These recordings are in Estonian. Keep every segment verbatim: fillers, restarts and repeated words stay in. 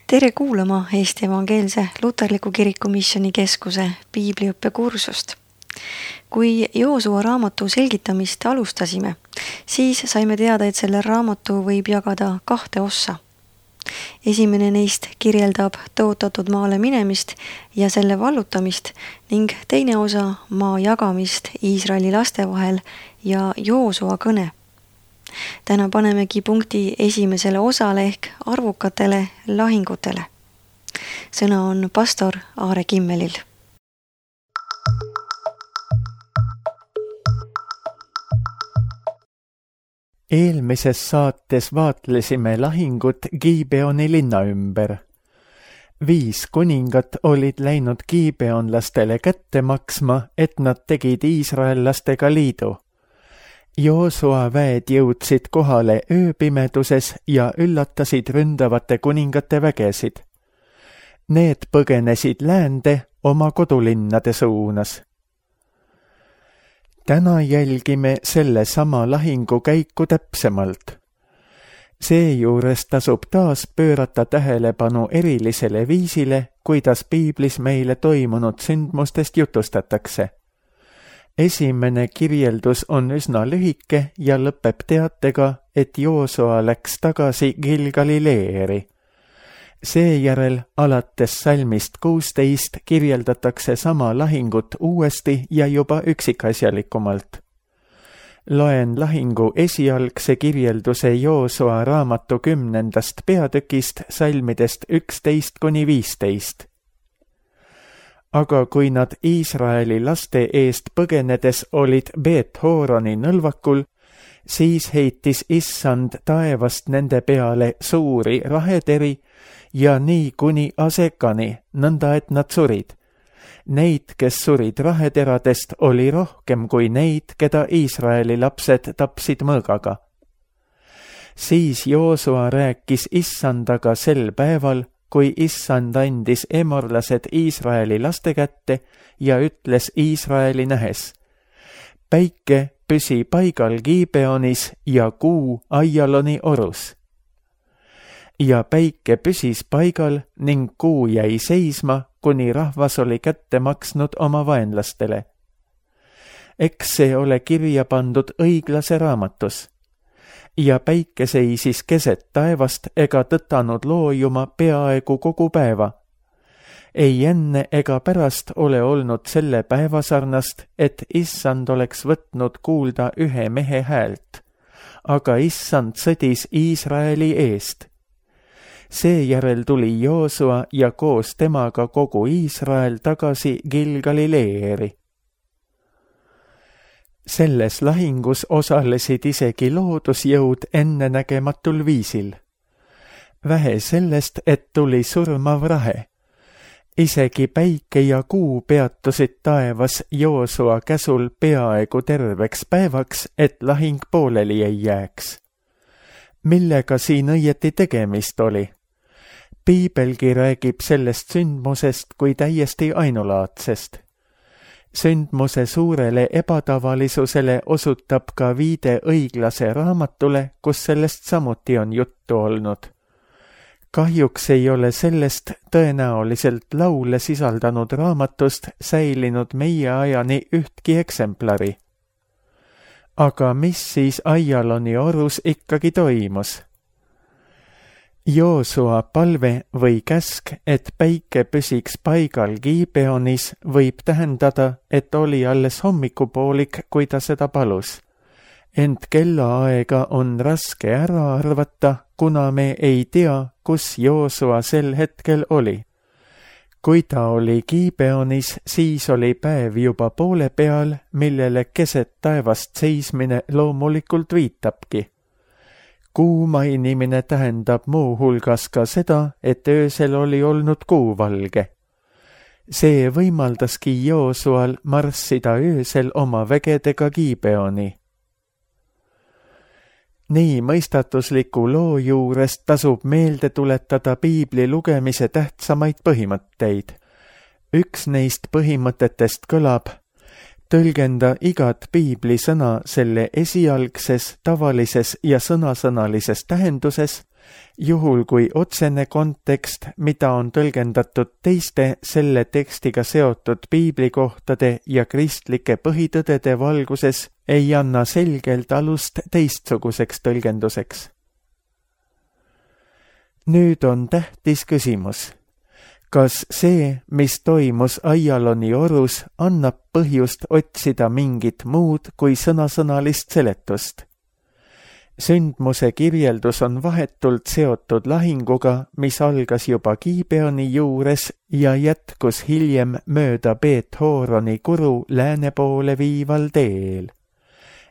Tere kuulama Eesti Evangeelse Luterliku Kiriku Missionikeskuse piibliõppekursust. Kui Joosua raamatu selgitamist alustasime, siis saime teada, et selle raamatu võib jagada kahte ossa. Esimene neist kirjeldab tõotatud maale minemist ja selle vallutamist ning teine osa maa jagamist Iisraeli laste vahel ja Joosua kõne. Täna panemegi punkti esimesele osale ehk arvukatele lahingutele. Sõna on pastor Aare Kimmelil. Eelmises saates vaatlesime lahingut Gibeoni linna ümber. Viis kuningat olid läinud gibeonlastele kätte maksma, et nad tegid iisraellastega liidu. Joosua väed jõudsid kohale ööpimeduses ja üllatasid ründavate kuningate vägesid. Need põgenesid läände oma kodulinnade suunas. Täna jälgime selle sama lahingu käiku täpsemalt. Seejuures tasub taas pöörata tähelepanu erilisele viisile, kuidas piiblis meile toimunud sündmustest jutustatakse. Esimene kirjeldus on üsna lühike ja lõpeb teatega, et Joosua läks tagasi Gilgali leeri. Seejärel alates salmist kuusteist kirjeldatakse sama lahingut uuesti ja juba üksikasjalikumalt. Loen lahingu esialgse kirjelduse Joosua raamatu kümnendast peatükist salmidest üksteist kuni viisteist. Aga kui nad Iisraeli laste eest põgenedes olid Beet-Horoni nõlvakul, siis heitis Issand taevast nende peale suuri raheteri ja nii kuni Asekani, nõnda et nad surid. Neid, kes surid raheteradest, oli rohkem kui neid, keda Iisraeli lapsed tapsid mõõgaga. Siis Joosua rääkis Issandaga sel päeval, kui Issand andis emorlased Iisraeli laste kätte ja ütles Iisraeli nähes: päike püsi paigal Gibeonis ja kuu Aijaloni orus. Ja päike püsis paigal ning kuu jäi seisma, kuni rahvas oli kätte maksnud oma vaenlastele. Eks see ole kirja pandud õiglase raamatus. Ja päike seisis keset taevast ega tõtanud loojuma peaaegu kogu päeva. Ei enne ega pärast ole olnud selle päeva sarnast, et Issand oleks võtnud kuulda ühe mehe häält, aga Issand sõdis Iisraeli eest. Seejärel tuli Joosua ja koos temaga kogu Iisrael tagasi Gilgali leeri. Selles lahingus osalesid isegi loodusjõud ennenägematul viisil. Vähe sellest, et tuli surmav rahe. Isegi päike ja kuu peatusid taevas Joosua käsul peaaegu terveks päevaks, et lahing pooleli ei jääks. Millega siin õieti tegemist oli? Piibelgi räägib sellest sündmusest kui täiesti ainulaadsest. Sündmuse suurele ebatavalisusele osutab ka viide õiglase raamatule, kus sellest samuti on juttu olnud. Kahjuks ei ole sellest tõenäoliselt laule sisaldanud raamatust säilinud meie ajani ühtki eksemplari. Aga mis siis Aijaloni orus ikkagi toimus? Joosua palve või käsk, et päike püsiks paigal Gibeonis, võib tähendada, et oli alles hommikupoolik, kui ta seda palus. Ent kellaaega on raske ära arvata, kuna me ei tea, kus Joosua sel hetkel oli. Kui ta oli Gibeonis, siis oli päev juba poole peal, millele keset taevast seismine loomulikult viitabki. Kuu mainimine tähendab muu hulgas ka seda, et öösel oli olnud kuu valge. See võimaldaski Joosual marssida öösel oma vägedega Gibeoni. Nii mõistatusliku loo juurest tasub meelde tuletada piibli lugemise tähtsamaid põhimõtteid. Üks neist põhimõtetest kõlab: tõlgenda igat piibli sõna selle esialgses, tavalises ja sõnasõnalises tähenduses Juhul kui otsene kontekst, mida on tõlgendatud teiste selle tekstiga seotud piiblikohtade ja kristlike põhitõdede valguses, ei anna selgelt alust teistsuguseks tõlgenduseks. Nüüd on tähtis küsimus. Kas see, mis toimus Aialoni orus, annab põhjust otsida mingit muud kui sõnasõnalist seletust? Sündmuse kirjeldus on vahetult seotud lahinguga, mis algas juba Gibeoni juures ja jätkus hiljem mööda Beet-Horoni kuru lääne poole viival teel.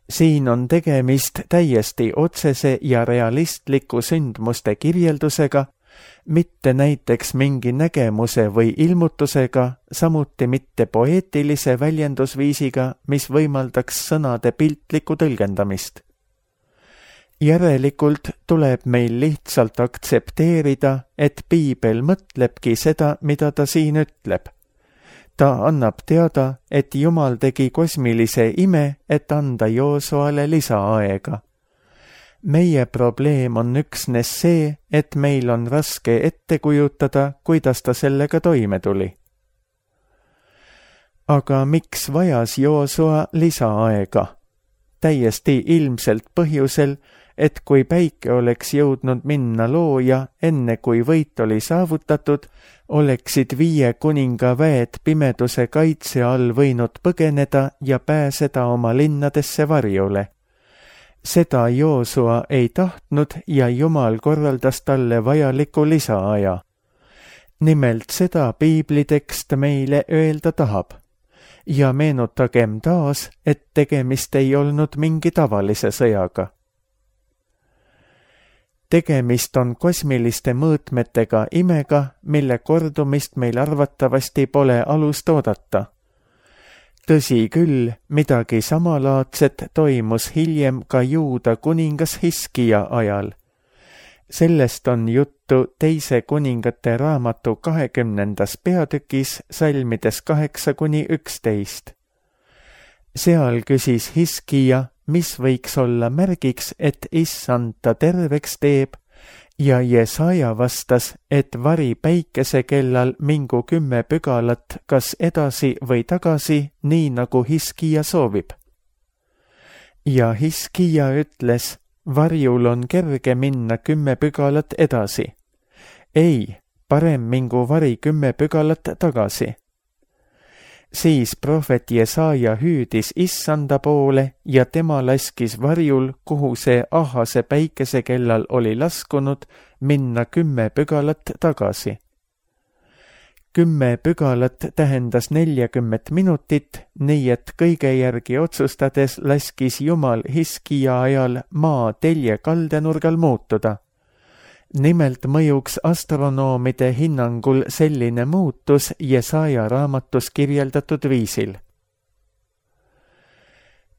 Siin on tegemist täiesti otsese ja realistliku sündmuste kirjeldusega, mitte näiteks mingi nägemuse või ilmutusega, samuti mitte poeetilise väljendusviisiga, mis võimaldaks sõnade piltlikku tõlgendamist. Järelikult tuleb meil lihtsalt aktsepteerida, et piibel mõtlebki seda, mida ta siin ütleb. Ta annab teada, et Jumal tegi kosmilise ime, et anda Joosuale lisaaega. Meie probleem on üksnes see, et meil on raske ette kujutada, kuidas ta sellega toime tuli. Aga miks vajas Joosua lisaaega? Täiesti ilmselt põhjusel, et kui päike oleks jõudnud minna looja, enne kui võit oli saavutatud, oleksid viie kuninga väed pimeduse kaitse all võinud põgeneda ja pääseda oma linnadesse varjule. Seda Joosua ei tahtnud ja Jumal korraldas talle vajaliku lisaaja. Nimelt seda piiblitekst meile öelda tahab. Ja meenutagem taas, et tegemist ei olnud mingi tavalise sõjaga. Tegemist on kosmiliste mõõtmetega imega, mille kordumist meil arvatavasti pole alust oodata. Tõsi küll, midagi samalaadset toimus hiljem ka Juuda kuningas Hiskija ajal. Sellest on juttu teise kuningate raamatu kahekümnendas peatükis salmides kaheksa kuni üksteist. Seal küsis Hiskija, mis võiks olla märgiks, et issand ta terveks teeb, ja Jesaja vastas, et vari päikese kellal mingu kümme pügalat kas edasi või tagasi, nii nagu Hiskija soovib. Ja Hiskija ütles, varjul on kerge minna kümme pügalat edasi. Ei, parem mingu vari kümme pügalat tagasi. Siis prohvet Jesaja hüüdis issanda poole ja tema laskis varjul, kuhu see ahase päikese kellal oli laskunud, minna kümme pügalat tagasi. Kümme pügalat tähendas neljakümmet minutit, nii et kõige järgi otsustades laskis Jumal Hiskija ajal maa telje kaldenurgal muutuda. Nimelt mõjuks astronoomide hinnangul selline muutus Jesaja raamatus kirjeldatud viisil.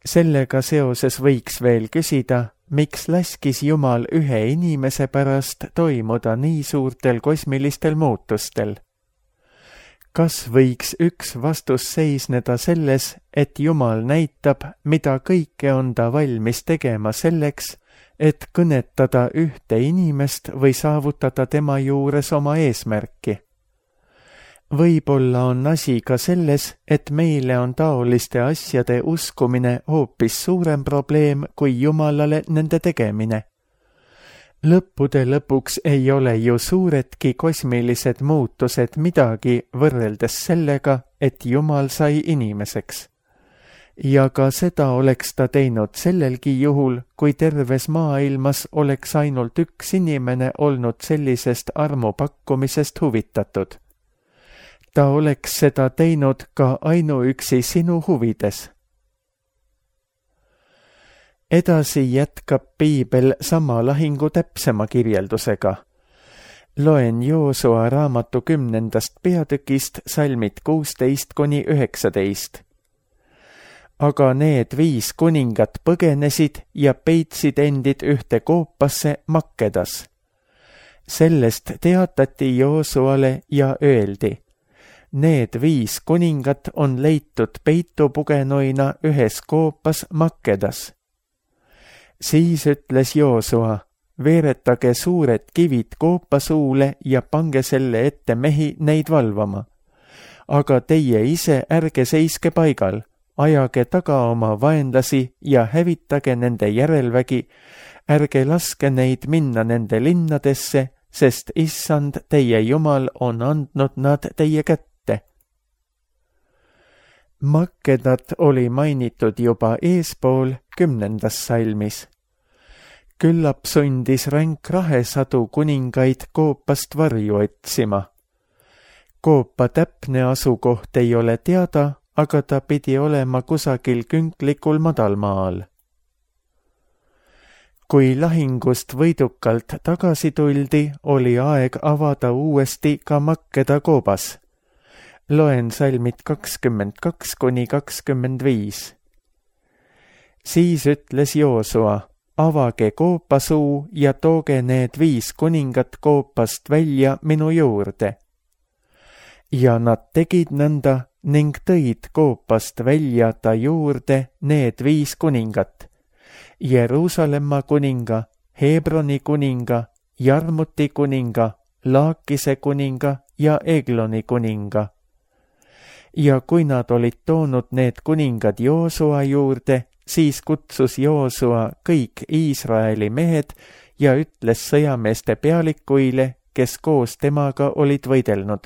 Sellega seoses võiks veel küsida, miks laskis Jumal ühe inimese pärast toimuda nii suurtel kosmilistel muutustel. Kas võiks üks vastus seisneda selles, et Jumal näitab, mida kõike on ta valmis tegema selleks, et kõnetada ühte inimest või saavutada tema juures oma eesmärki. Võib-olla on asi ka selles, et meile on taoliste asjade uskumine hoopis suurem probleem kui Jumalale nende tegemine. Lõppude lõpuks ei ole ju suuredki kosmilised muutused midagi võrreldes sellega, et Jumal sai inimeseks. Ja ka seda oleks ta teinud sellelgi juhul, kui terves maailmas oleks ainult üks inimene olnud sellisest armu pakkumisest huvitatud. Ta oleks seda teinud ka ainuüksi sinu huvides. Edasi jätkab piibel sama lahingu täpsema kirjeldusega. Loen Joosua raamatu kümnendast peatükist salmid kuusteist kuni üheksateist. Aga need viis kuningat põgenesid ja peitsid endid ühte koopasse Makkedas. Sellest teatati Joosuale ja öeldi, need viis kuningat on leitud peitupugenuina ühes koopas Makkedas. Siis ütles Joosua, veeretage suured kivid koopasuule ja pange selle ette mehi neid valvama. Aga teie ise ärge seiske paigal, ajage taga oma vaenlasi ja hävitage nende järelvägi, ärge laske neid minna nende linnadesse, sest issand teie Jumal on andnud nad teie kätte. Makkedat oli mainitud juba eespool kümnendas salmis. Küllap sundis ränk rahesadu kuningaid Koopast varju otsima. Koopa täpne asukoht ei ole teada, aga ta pidi olema kusagil künklikul madalmaal. Kui lahingust võidukalt tagasi tuldi, oli aeg avada uuesti ka Makkeda koobas. Loen salmid kakskümmend kaks kuni kakskümmend viis. Siis ütles Joosua, avage koopasuu ja tooge need viis kuningat koopast välja minu juurde. Ja nad tegid nõnda ning tõid koopast välja ta juurde need viis kuningat. Jeruusalemma kuninga, Hebroni kuninga, Jarmuti kuninga, Laakise kuninga ja Egloni kuninga. Ja kui nad olid toonud need kuningad Joosua juurde, siis kutsus Joosua kõik Iisraeli mehed ja ütles sõjameeste pealikuile, kes koos temaga olid võidelnud.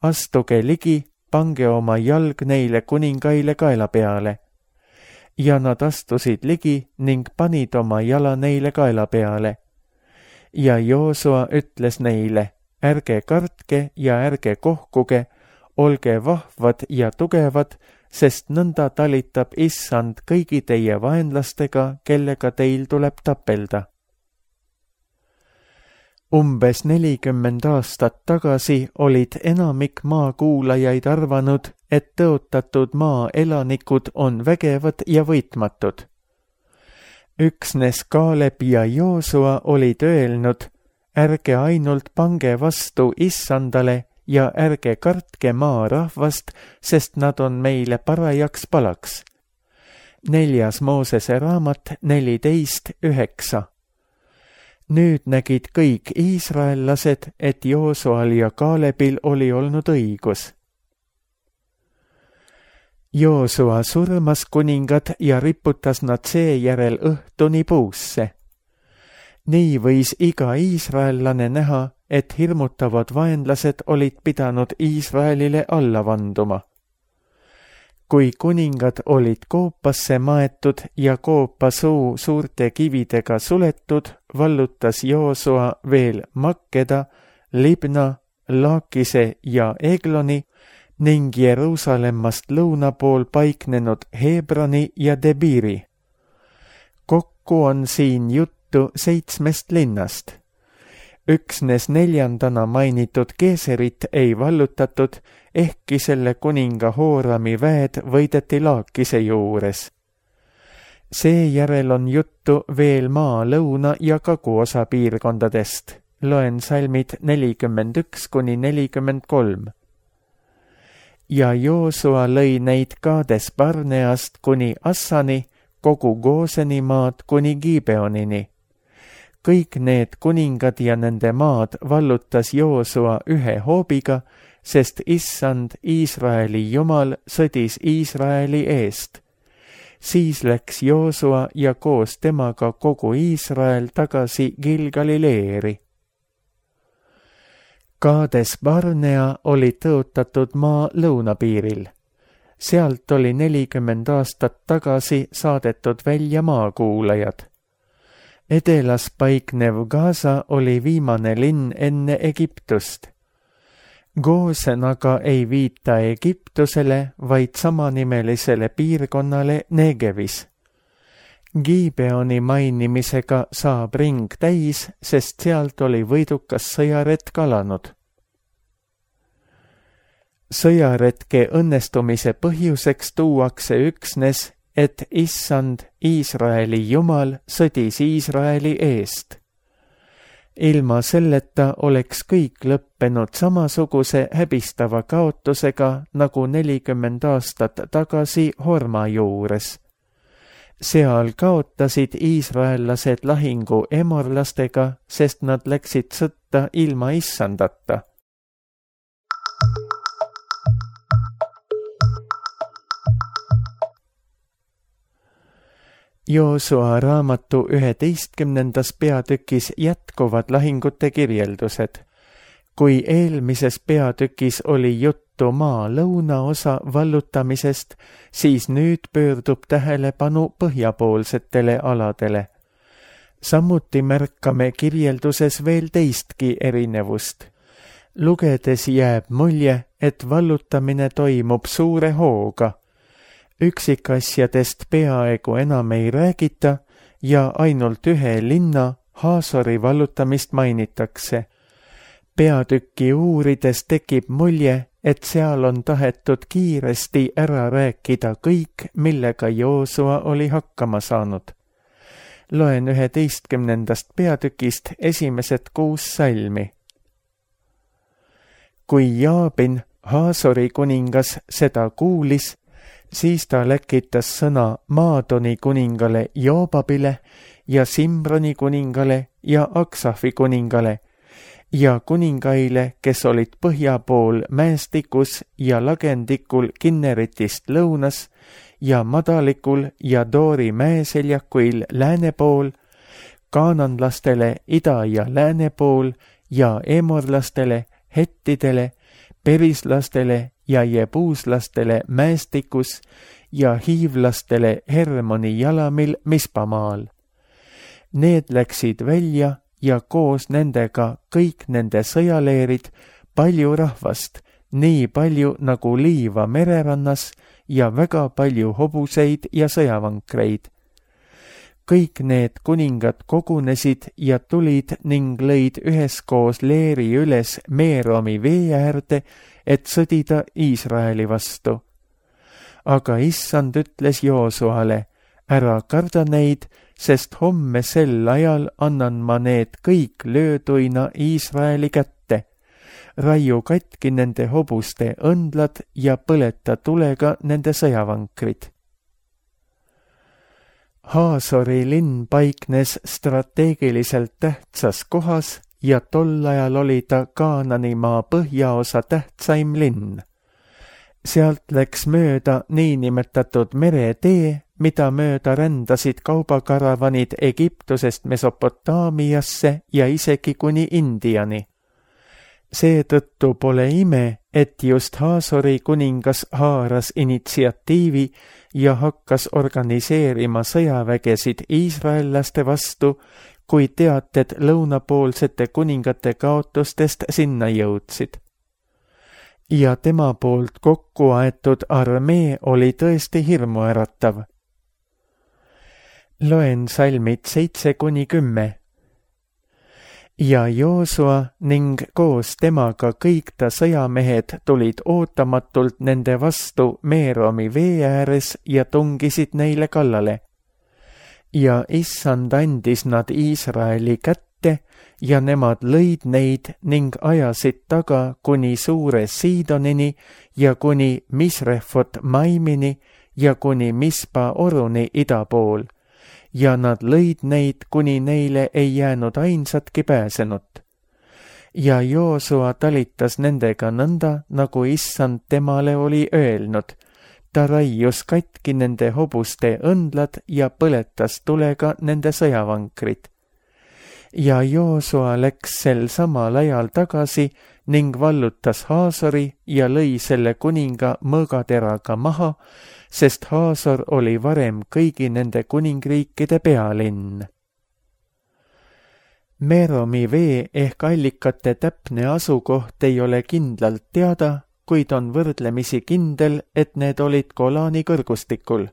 Astuge ligi, pange oma jalg neile kuningaile kaela peale. Ja nad astusid ligi ning panid oma jala neile kaela peale. Ja Joosua ütles neile, ärge kartke ja ärge kohkuge, olge vahvad ja tugevad, sest nõnda talitab issand kõigi teie vaenlastega, kellega teil tuleb tapelda. Umbes nelikümmend aastat tagasi olid enamik maakuulajaid arvanud, et tõotatud maa elanikud on vägevad ja võitmatud. Üksnes Kaaleb ja Joosua olid öelnud, ärge ainult pange vastu issandale ja ärge kartke maa rahvast, sest nad on meile parajaks palaks. Neljas Moosese raamat neliteist üheksa. Nüüd nägid kõik iisraellased, et Joosual ja Kaalebil oli olnud õigus. Joosua surmas kuningad ja riputas nad seejärel õhtuni puusse. Nii võis iga iisraellane näha, et hirmutavad vaenlased olid pidanud Iisraelile alla vanduma. Kui kuningad olid koopasse maetud ja koopasuu suurte kividega suletud, vallutas Joosua veel Makkeda, Libna, Laakise ja Egloni ning Jeruusalemmast lõuna pool paiknenud Hebroni ja Debiri. Kokku on siin juttu seitsmest linnast. Üksnes neljandana mainitud Geeserit ei vallutatud, ehkki selle kuninga Hoorami väed võideti Laakise juures. Seejärel on juttu veel maa lõuna ja kaguosa piirkondadest. Loen salmid nelikümmend üks kuni nelikümmend kolm. Ja Joosua lõi neid Kaades Barneast kuni Assani, kogu Gooseni maad kuni Gibeonini. Kõik need kuningad ja nende maad vallutas Joosua ühe hoobiga, sest issand Iisraeli Jumal sõdis Iisraeli eest. Siis läks Joosua ja koos temaga kogu Iisrael tagasi Gilgali leeri. Kaades Barnea oli tõotatud maa lõunapiiril. Sealt oli nelikümmend aastat tagasi saadetud välja maakuulajad. Edelas paiknev Gaza oli viimane linn enne Egiptust. Goosen aga ei viita Egiptusele, vaid samanimelisele piirkonnale Negevis. Gibeoni mainimisega saab ring täis, sest sealt oli võidukas sõjaretk alanud. Sõjaretke õnnestumise põhjuseks tuuakse üksnes, et issand Iisraeli Jumal sõdis Iisraeli eest. Ilma selleta oleks kõik lõppenud samasuguse häbistava kaotusega nagu nelikümmend aastat tagasi Horma juures. seal kaotasid iisraellased lahingu emorlastega, sest nad läksid sõtta ilma issandata. Joosua raamatu üheteistkümnendas peatükis jätkuvad lahingute kirjeldused. Kui eelmises peatükis oli juttu maa lõunaosa vallutamisest, siis nüüd pöördub tähelepanu põhjapoolsetele aladele. Samuti märkame kirjelduses veel teistki erinevust. Lugedes jääb mulje, et vallutamine toimub suure hooga. Üksikasjadest peaaegu enam ei räägita ja ainult ühe linna, Haasori vallutamist mainitakse. Peatükki uurides tekib mulje, et seal on tahetud kiiresti ära rääkida kõik, millega Joosua oli hakkama saanud. Loen üheteistkümnendast peatükist esimesed kuus salmi. Kui Jaabin, Haasori kuningas, seda kuulis, siis ta läkitas sõna Maadoni kuningale Joobabile ja Simroni kuningale ja Aksafi kuningale ja kuningaile, kes olid põhja pool mäestikus ja lagendikul Kinneritist lõunas ja madalikul ja Doori mäeseljakuil lääne pool, kaananlastele ida ja lääne pool ja emorlastele, hettidele, perislastele ja jebuuslastele mäestikus ja hiivlastele Hermoni jalamil Mispamaal. Need läksid välja ja koos nendega kõik nende sõjaleerid, palju rahvast, nii palju nagu liiva mererannas ja väga palju hobuseid ja sõjavankreid. Kõik need kuningad kogunesid ja tulid ning lõid üheskoos leeri üles Meeromi vee äärde, et sõdida Iisraeli vastu. Aga issand ütles Joosuale, ära karda neid, sest homme sel ajal annan ma need kõik lööduina Iisraeli kätte. Raiu katki nende hobuste õndlad ja põleta tulega nende sõjavankrid. Haasori linn paiknes strateegiliselt tähtsas kohas ja tol ajal oli ta Kaananimaa põhjaosa tähtsaim linn. Sealt läks mööda niinimetatud meretee, mida mööda rändasid kaubakaravanid Egiptusest Mesopotaamiasse ja isegi kuni Indiani. Seetõttu pole ime, et just Haasori kuningas haaras initsiatiivi ja hakkas organiseerima sõjavägesid iisraellaste vastu, kui teated lõunapoolsete kuningate kaotustest sinna jõudsid. Ja tema poolt kokku aetud armee oli tõesti hirmuäratav. Loen salmid seitse kuni kümme. Ja Joosua ning koos temaga kõik ta sõjamehed tulid ootamatult nende vastu Meeromi vee ääres ja tungisid neile kallale. Ja issand andis nad Iisraeli kätte ja nemad lõid neid ning ajasid taga kuni suure Siidonini ja kuni Misrefot Maimini ja kuni Mispa oruni ida pool. Ja nad lõid neid, kuni neile ei jäänud ainsatki pääsenut. Ja Joosua talitas nendega nõnda, nagu issand temale oli öelnud. Ta raius katki nende hobuste õndlad ja põletas tulega nende sõjavankrid. Ja Joosua läks sel samal ajal tagasi ning vallutas Haasori ja lõi selle kuninga mõõgateraga maha, sest Haasor oli varem kõigi nende kuningriikide pealinn. Meeromi vee ehk allikate täpne asukoht ei ole kindlalt teada, kuid on võrdlemisi kindel, et need olid Golani kõrgustikul.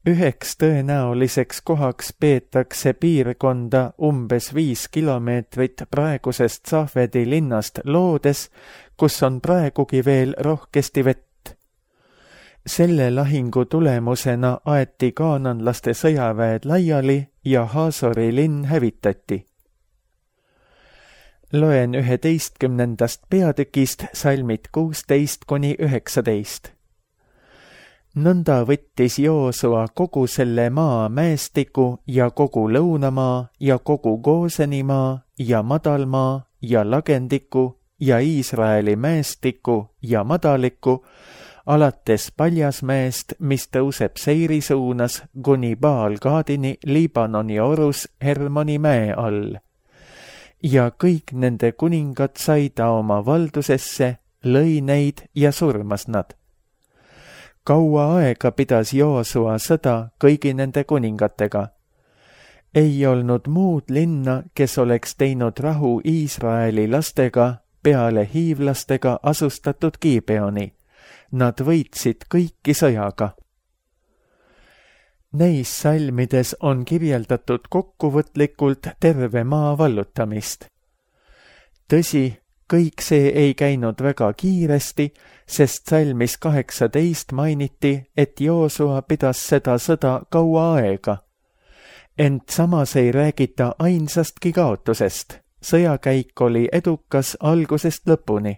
Üheks tõenäoliseks kohaks peetakse piirkonda umbes viis kilomeetrit praegusest Safedi linnast loodes, kus on praegugi veel rohkesti vett. Selle lahingu tulemusena aeti kaananlaste sõjaväed laiali ja Haasori linn hävitati. Loen üheteistkümnendast peatükist salmid kuusteist kuni üheksateist. Nõnda võttis Joosua kogu selle maa mäestiku ja kogu lõunamaa ja kogu Goosenimaa ja madalmaa ja lagendiku ja Iisraeli mäestiku ja madaliku, alates Paljasmäest, mis tõuseb Seiri suunas, kuni Baal-Gaadini Liibanoni orus Hermoni mäe all. Ja kõik nende kuningad sai ta oma valdusesse, lõi neid ja surmas nad. Kaua aega pidas Joosua sõda kõigi nende kuningatega. Ei olnud muud linna, kes oleks teinud rahu Iisraeli lastega peale hiivlastega asustatud Gibeoni. Nad võitsid kõiki sõjaga. Neis salmides on kirjeldatud kokkuvõtlikult terve maa vallutamist. Tõsi, kõik see ei käinud väga kiiresti, sest salmis kaheksateist mainiti, et Joosua pidas seda sõda kaua aega. Ent samas ei räägita ainsastki kaotusest. Sõjakäik oli edukas algusest lõpuni.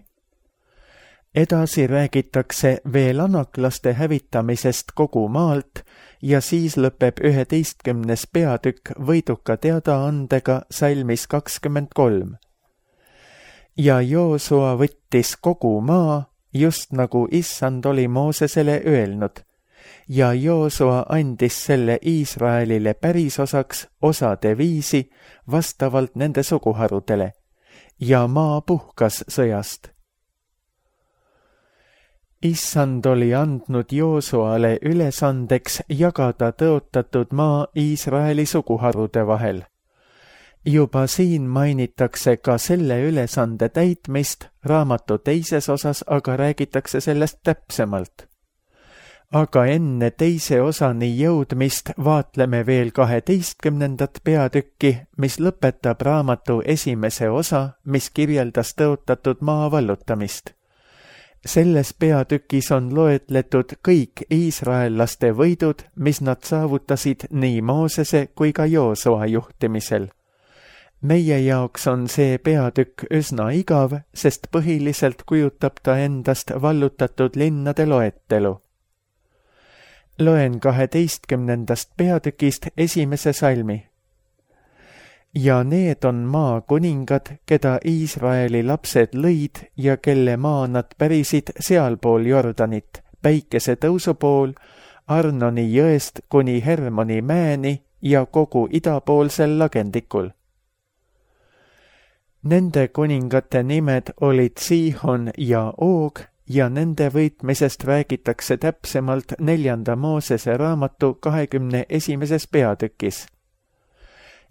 Edasi räägitakse veel anaklaste hävitamisest kogu maalt ja siis lõpeb üheteistkümnes peatükk võiduka teadaandega salmis kakskümmend kolm. Ja Joosua võttis kogu maa, just nagu Issand oli Moosesele öelnud, ja Joosua andis selle Iisraelile pärisosaks osade viisi vastavalt nende suguharudele, ja maa puhkas sõjast. Issand oli andnud Joosuale ülesandeks jagada tõotatud maa Iisraeli suguharude vahel. Juba siin mainitakse ka selle ülesande täitmist, raamatu teises osas aga räägitakse sellest täpsemalt. Aga enne teise osani jõudmist vaatleme veel kaheteistkümnendat peatükki, mis lõpetab raamatu esimese osa, mis kirjeldas tõotatud maa vallutamist. Selles peatükis on loetletud kõik iisraellaste võidud, mis nad saavutasid nii Moosese kui ka Joosua juhtimisel. Meie jaoks on see peatükk üsna igav, sest põhiliselt kujutab ta endast vallutatud linnade loetelu. Loen kaheteistkümnendast peatükist esimese salmi. Ja need on maa kuningad, keda Iisraeli lapsed lõid ja kelle maa nad pärisid sealpool Jordanit, päikese tõusu pool, Arnoni jõest kuni Hermoni mäeni ja kogu idapoolsel lagendikul. Nende kuningate nimed olid Siihon ja Oog ja nende võitmisest räägitakse täpsemalt neljanda Moosese raamatu kahekümne esimeses peatükis.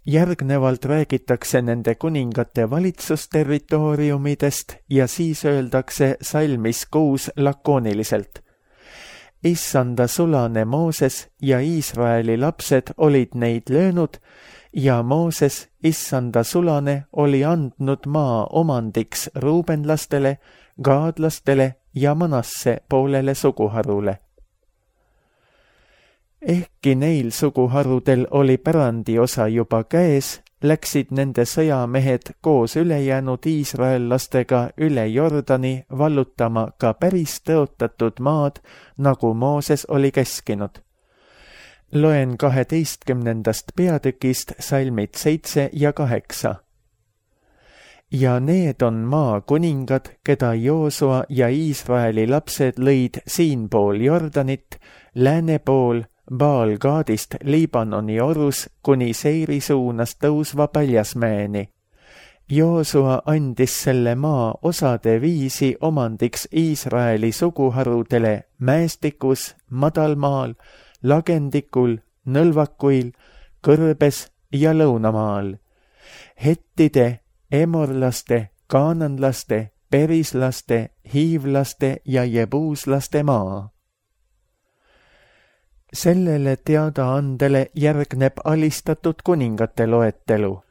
Järgnevalt räägitakse nende kuningate valitsusterritooriumidest ja siis öeldakse salmis kuus lakooniliselt. Issanda sulane Mooses ja Iisraeli lapsed olid neid löönud ja Mooses, Issanda sulane, oli andnud maa omandiks ruubenlastele, gaadlastele ja Manasse poolele suguharule. Ehkki neil suguharudel oli pärandiosa juba käes, läksid nende sõjamehed koos ülejäänud iisraellastega üle Jordani vallutama ka päris tõotatud maad, nagu Mooses oli käskinud. Loen kaheteistkümnendast peatükist salmid seitse ja kaheksa. Ja need on maa kuningad, keda Joosua ja Iisraeli lapsed lõid siinpool Jordanit, lääne pool, Baal-Gaadist Liibanoni orus kuni Seiri suunas tõusva Paljasmäeni. Joosua andis selle maa osade viisi omandiks Iisraeli suguharudele mäestikus, madalmaal, lagendikul, nõlvakuil, kõrbes ja lõunamaal. Hettide, emorlaste, kaananlaste, perislaste, hiivlaste ja jebuuslaste maa. Sellele teadaandele järgneb alistatud kuningate loetelu.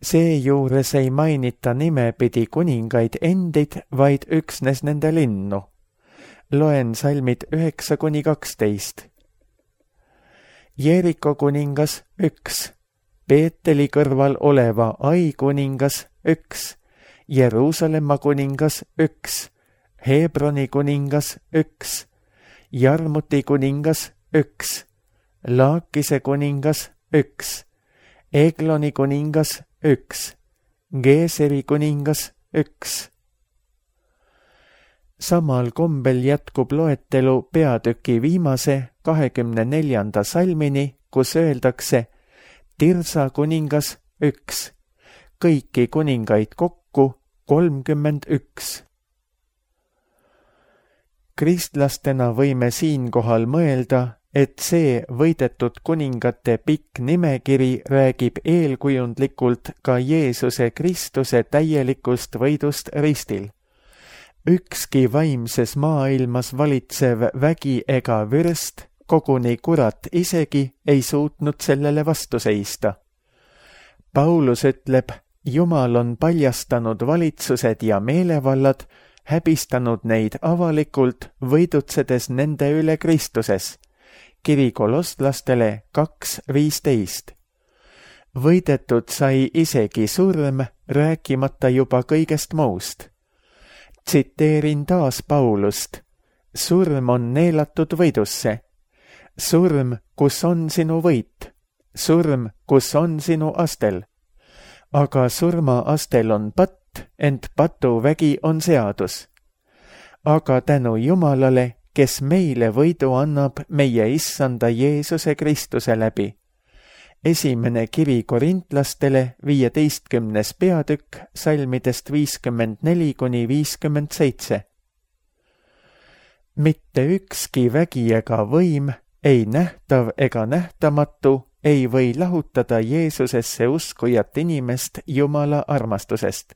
Seejuures ei mainita nimepidi kuningaid endid, vaid üksnes nende linnu. Loen salmid üheksa kuni kaksteist. Jeeriko kuningas üks, Peeteli kõrval oleva Ai kuningas üks, Jeruusalemma kuningas üks, Hebroni kuningas üks, Jarmuti kuningas üks, Laakise kuningas üks, Egloni kuningas üks, Geeseri kuningas üks. Samal kombel jätkub loetelu peatüki viimase kahekümne neljanda salmini, kus öeldakse Tirsa kuningas üks, kõiki kuningaid kokku kolmkümmend üks. Kristlastena võime siinkohal mõelda, et see võidetud kuningate pikk nimekiri räägib eelkujundlikult ka Jeesuse Kristuse täielikust võidust ristil. Ükski vaimses maailmas valitsev vägi ega vürst, koguni kurat isegi, ei suutnud sellele vastu seista. Paulus ütleb, Jumal on paljastanud valitsused ja meelevallad, häbistanud neid avalikult, võidutsedes nende üle Kristuses. Kiri kolostlastele kaks viisteist. Võidetud sai isegi surm, rääkimata juba kõigest muust. Tsiteerin taas Paulust. Surm on neelatud võidusse. Surm, kus on sinu võit. Surm, kus on sinu astel. Aga surma astel on patt, ent patuvägi on seadus. Aga tänu Jumalale, kes meile võidu annab meie issanda Jeesuse Kristuse läbi. Esimene kiri korintlastele viieteistkümnes peatükk salmidest viiskümmend neli kuni viiskümmend seitse. Mitte ükski vägi ega võim, ei nähtav ega nähtamatu, ei või lahutada Jeesusesse uskujat inimest Jumala armastusest,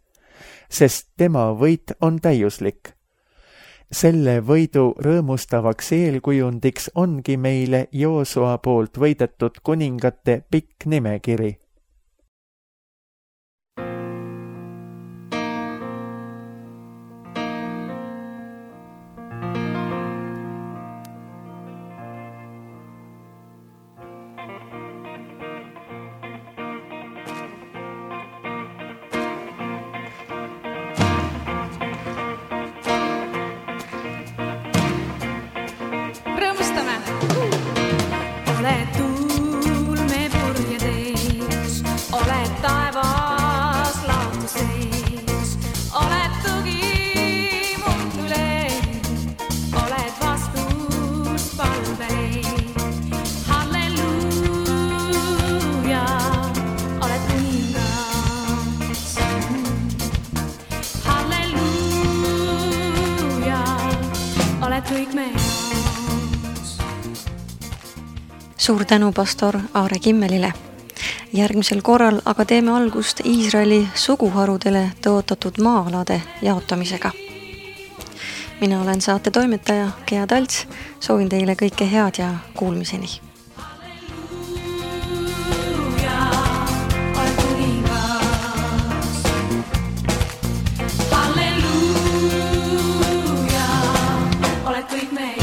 sest tema võit on täiuslik. Selle võidu rõõmustavaks eelkujundiks ongi meile Joosua poolt võidetud kuningate pikk nimekiri. Suur tänu pastor Aare Kimmelile. Järgmisel korral aga teeme algust Iisraeli suguharudele tõotatud maa-alade jaotamisega. Mina olen saate toimetaja Gea Talts, soovin teile kõike head ja kuulmiseni. Halleluuja, oled kõik me.